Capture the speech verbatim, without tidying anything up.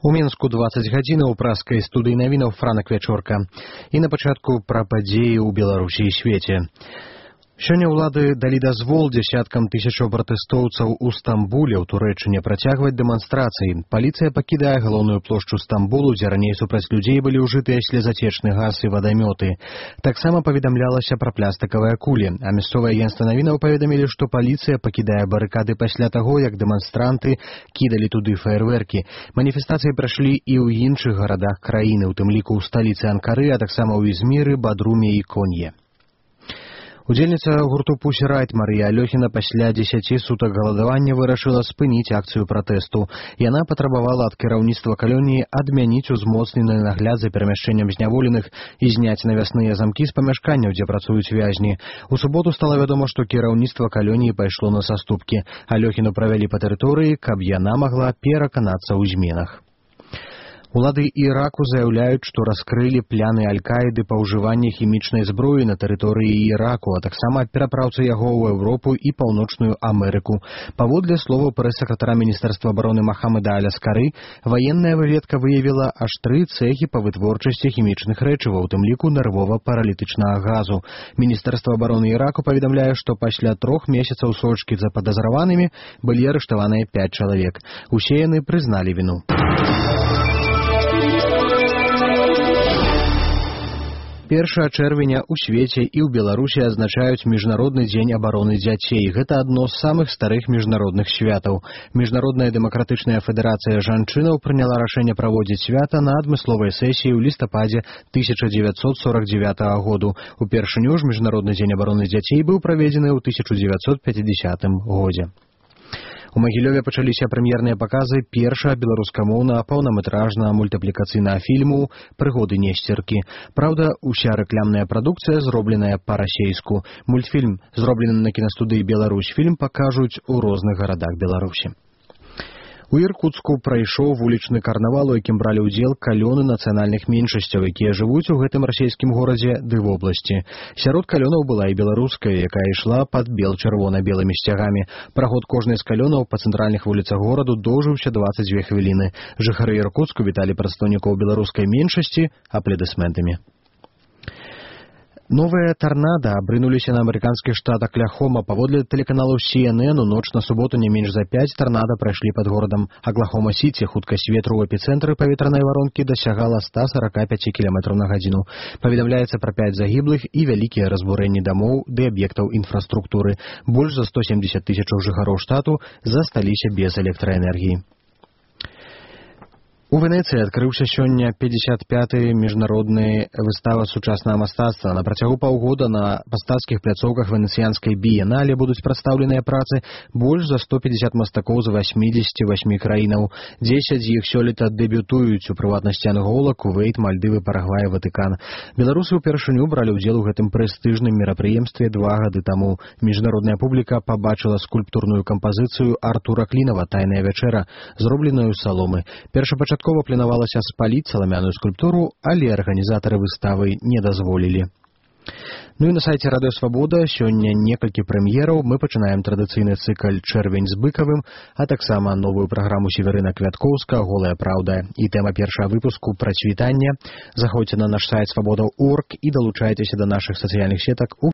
У Мінску дваццаць гадзін у праскай студыі навінаў Франак Вячорка. І на пачатку пра падзеі ў Беларусі і свеце. Сёння ўлады далі дазвол дзясяткам тысячаў пратэстоўцаў у Стамбуле ў Турэччыне працягваць дэманстрацыі. Паліцыя пакідае галоўную плошчу Стамбулу, дзе раней супраць людзей былі ўжытыя слезацечны газ і вадамёты. Таксама паведамлялася пра пластыкавыя кулі, а мясцовыя агенцтва навінаў паведамілі, што паліцыя пакідае барыкады пасля таго, як дэманстранты кідалі туды фаерверкі. Маніфестацыі прайшлі і ў іншых гарадах краіны, у тым ліку ў сталіцы Анкары, а таксама ў Ізміры, Бадруме і Конье. Удзельніца гурту Pussy Riot Марыя Алёхіна пасля дзесяці сутак галадавання вырашыла спыніць акцыю пратэсту. Яна патрабавала ад кіраўніцтва калоніі адмяніць узмоцнены нагляд за перамяшчэннем зняволеных і зняць навясныя замкі з памяшканняў, дзе працуюць вязні. У суботу стала вядома, што кіраўніцтва калоніі пайшло на саступкі. Алёхіну правялі па тэрыторыі, каб яна магла пераканацца ў зменах. Улады Іраку заяўляюць, што раскрылі пляны Аль-Каіды па ўжыванні хімічнай зброі на тэрыторыі Іраку, а таксама перапраўцы яго ў Еўропу і Паўночную Амерыку. Паводле словаў прэс-сакратара Міністэрства абароны Махамеда Аль-Аскары, ваенная выведка выявіла аж тры цэхі па вытворчасці хімічных рэчываў, у тым ліку нервова-паралітычнага газу. Міністэрства абароны Іраку паведамляе, што пасля трох месяцаў сочкі за падазраванымі былі арыштаваныя пяць чалавек. Усе яны прызналі віну. Першага чэрвеня ў свеце і ў Беларусі адзначаюць Міжнародны дзень абароны дзяцей. Гэта адно з самых старых міжнародных святаў. Міжнародная дэмакратычная федэрацыя жанчынаў прыняла рашэнне праводзіць свята на адмысловай сесіі ў лістападзе тысяча дзевяцьсот сорак дзевятага году. Упершыню ж Міжнародны дзень абароны дзяцей быў праведзены ў тысяча дзевяцьсот пяцідзясятым годзе. У Магілёве пачаліся прэм'ерныя паказы першага беларускамоўнага паўнаметражнага мультыплікацыйнага фільму «Прыгоды Несцеркі». Праўда, уся рэкламная прадукцыя зробленая па-расейску. Мультфільм, зроблены на кінастудыі «Беларусьфільм», пакажуць у розных гарадах Беларусі. У Іркуцку прайшоў вулічны карнавал, у якім бралі ўдзел калёны нацыянальных меншасцяў, якія жывуць у гэтым расійскім горадзе ды вобласці. Сярод калёнаў была і беларуская, якая ішла пад бел-чырвона-белымі сцягамі. Праход кожнай з калёнаў па цэнтральных вуліцах гораду доўжыўся дваццаць дзве хвіліны. Жыхары Іркуцку віталі прадстаўнікоў беларускай меншасці апладысментамі. Новыя тарнада абрынуліся на амерыканскі штат Акляхома. Паводле тэлеканалу Си Эн Эн у ноч на суботу не менш за пяць тарнада прайшлі пад горадам Аклахома-Сіці. Хуткасць ветру ў эпіцэнтры паветранай варонкі дасягала ста сарака пяці кіламетраў на гадзіну. Паведамляецца пра пяць загіблых і вялікія разбурэнні дамоў ды аб'ектаў інфраструктуры. Больш за сто семдзесят тысячаў жыхароў штату засталіся без электраэнергіі. У Венецыі адкрыўся сёння пятьдесят пяты міжнародны выстава сучаснага мастацтва. На працягу паўгода на мастацкіх пляцоўках венецыянскай біенале будуць прадстаўленыя працы больш за сто пятьдесят мастакоў з васьмідзесяці васьмі краінаў. дзесяць з іх сёлета дэбютуюць, у прыватнасці Ангола, Кувейт, Мальдывы, Парагвай, Ватыкан. Беларусы ўпершыню бралі ўдзел у гэтым прэстыжным мерапрыемстве два гады таму. Міжнародная публіка пабачыла скульптурную кампазіцыю Артура Клінава «Тайная вячэра», зробленую з саломы. Першапачаткова Пачаткова планавалася спаліць саламяную скульптуру, але арганізатары выставы не дазволілі. Ну і на сайце Радыё Свабода сёння некалькі прэм'ераў. Мы пачынаем традыцыйны цыкль «Чэрвень з быкавым», а таксама новую праграму Северына Квяткоўска «Голая праўда». І тэма першага выпуску «Працвітання». Заходзьце на наш сайт свабода точка орг і далучайцеся да нашых сацыяльных сетак у